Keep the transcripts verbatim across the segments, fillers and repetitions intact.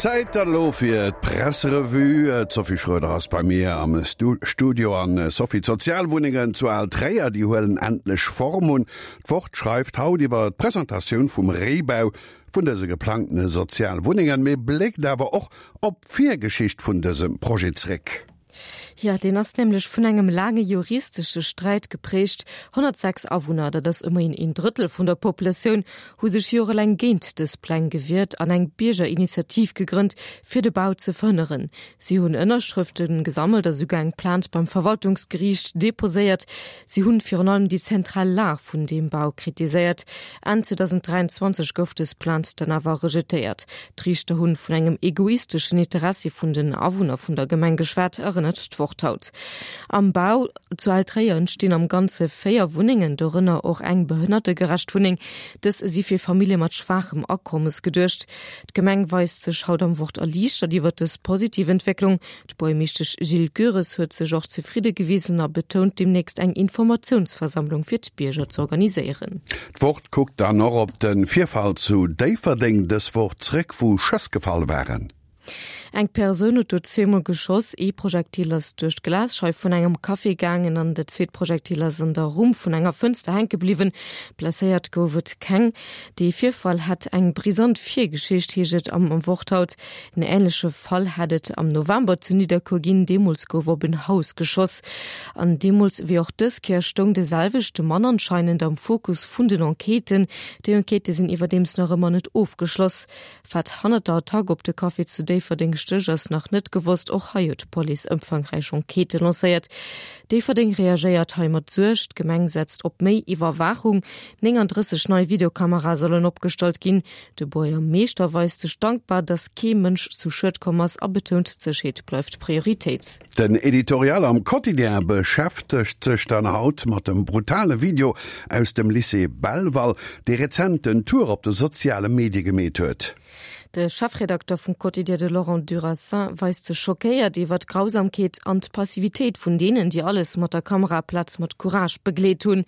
Zäit dann elo fir d'Presserevue. D'Sophie Schroeder ass bei mir am Studio. An Sophie, d'Sozialwunnengen zu Altréier, déi huelen endlech Form un. D'Wort schreift haut iwwer d'Presentatioun vum Réibau vun dëse geplangtene Sozialwunnengen, mee bléckt awer och op d'Virgeschicht vun dësem Projet zréck. Jo, deen ass nämlech vun engem laange juristesche Sträit geprägt. honnertsechs Awunner, dat ass ëmmerhin een Drëttel vun der Populatioun, hu sech jorelaang géint dës Pläng gewiert an eng Biergerinitiativ gegrënnt, fir de Bau ze verhënneren. Si hunn Ënnerschrëfte gesammelt a souguer eng Plainte beim Verwaltungsgeriicht deposéiert. Si hunn virun allem déi zentral Lag vun deem Bau kritiséiert. Enn zweedausenddräianzwanzeg gouf dës Plainte dann awer rejetéiert. D'Riichter hunn vun engem egoisteschen Interessi vun den Awunner vun der Gemeng geschwat, erënnert d'Wort haut. Am Bau zu Altréier entstinn am Ganze véier Wunnengen, dorënner och eng behënnertegerecht Wunneng. Dës si fir Famillje mat schwaachem Akommes geduecht. D'Gemeng weist sech haut am Wort erliichtert iwwer dës positiv Entwécklung. D'Buergermeeschtesch Jill Goeres huet sech och zefridde gewisen a betount, deemnächst eng Informatiounsversammlung fir d'Bierger z'organiséieren. D'Wort kuckt dann och op de Virfall zu Déifferdeng dës Woch zréck, wou Schëss gefall waren. Eng Persoun huet do zweemol geschoss. Ee Projektil ass duerch d'Glasscheif vun engem Café gaangen an dat zweet Projektil ass an der Rumm vun enger Fënster hänke bliwwen. Blesséiert gouf et keng. Dee Virfall hätt eng brisant Virgeschicht, heescht et am Wort haut. En änleche Fall hätt et am November zu Nidderkuer ginn. Deemools gouf op en Haus geschoss. An deemools wéi och dës Kéier stoung de selwechte Mann anscheinend am Fokus vun den Enquêten. Déi Enquêtë sinn iwwerdeems nach ëmmer net ofgeschloss. Wat hannert der Attack op de Café zu Déifferdeng stécht, ass nach net gewosst. Och hei huet d'Police ëmfangräich Enquêtë lancéiert. Déifferdeng reagéiert hei mat Suerg. D'Gemeng setzt op méi Iwwerwaachung. nénganddrësseg nei Videokamerae sollen opgestallt ginn. De Buergermeeschter weist sech dankbar, datt kee Mënsch zu Schued komm ass a betount, d'Sécherheet bleift Prioritéit. Den Editorial am Quotidien beschäftegt sech dann haut mat dem brutale Video aus dem Lycée Belval, dee rezent den Tour op de soziale Medie gemeet huet. De Chefredakter vum Quotidien, de Laurent Durasin, weist sech schockéiert iwwer d'Grausamkeet an d'Passivitéit vun deenen, déi alles mat der Kamera aplaz mat Courage begleet hunn.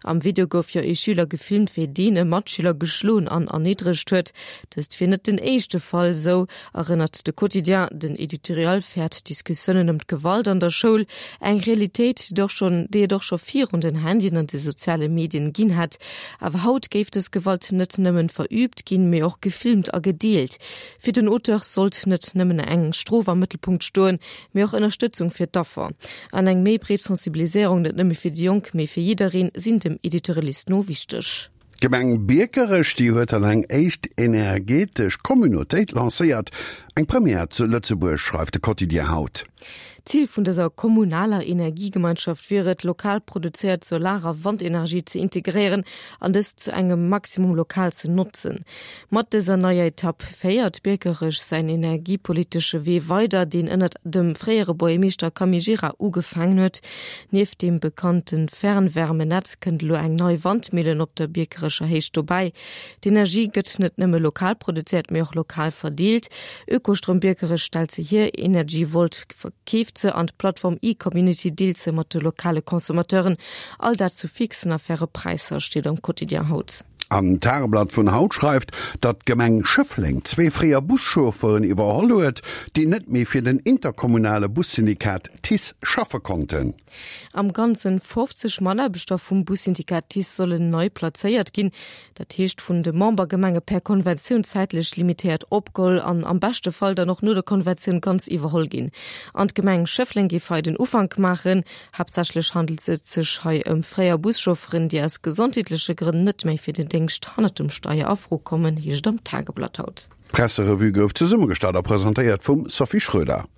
Am Video gouf jo ee Schüler gefilmt, wéi deen e Matschüler geschloen an erniddregt huet. Dëst wier net den éischte Fall, sou erënnert de Quotidien. Den Editorial féiert Diskussiounen ëm d'Gewalt an der Schoul, eng Realitéit, déi och schonn, déi et och scho virun den Handyen an de soziale Medien ginn hätt. Awer haut géif dës Gewalt net nëmmen verüübt ginn, mee och gefilmt a gedeelt. Fir den Auteur sollt net nëmmen eng Strof am Mëttelpunkt stoen, mee och Ënnerstëtzung fir d'Affer. An eng méi breet Sensibiliséierung net nëmme fir déi Jonk, mee fir jiddereen sinn dem Editorialist no wichteg. D'Gemeng Biekerech, déi huet dann eng éischt energetesch Communautéit lancéiert. Eng Première zu Lëtzebuerg, schreift de Quotidien haut. Zil vun dëser kommunaler Energiegemeinschaft wier et, lokal produzéiert Solar a Wandenergie ze integréieren an dës zu engem Maximum lokal ze notzen. Mat dëser neier Etapp féiert Biekerech säin energiepolitesche Wee weider, deen ënnert dem fréiere Buergermeeschter Camille Gira ugefaangen huet. Nieft deem bekannte Fernwärmenetz kënnt elo eng nei Wandmillen op der Biekerecher Héicht dobäi. D'Energie gëtt net nëmme lokal produzéiert, mee och lokal verdeelt. Ökostrom Biekerech stellt se hier, Energy Volt verkeeft se an d'Plattform E-Community deelt se mat de lokale Consommateuren. All dat zu fixen a faire Präisser, steet am Quotidien haut. An d'Tageblatt vun haut schreift, datt d'Gemeng Schëffleng zwee fréier Buschaufferen iwwerholl huet, déi net méi fir den interkommunale Bussyndikat TICE schaffe konnten. Am Ganzen fofzeg Mataarbechter vum Bussyndikat TICE sollen nei plazéiert ginn. Dat heescht vun de Membergemenge per Konventioun zäitlech limitéiert opgeholl an am beschte Fall dann och no der Konventioun ganz iwwerholl ginn. An d'Gemeng Schëffleng géif hei den Ufank maachen. Haaptsächlech handelt et sech hei ëm fréier Buschaufferen, déi aus gesondheetleche Grënn net méi fir den Déngscht hannert dem Steier a Fro kommen, heescht et am Tageblatt haut. D'Presserevue gouf zesummegestallt a presentéiert vum Sophie Schröder.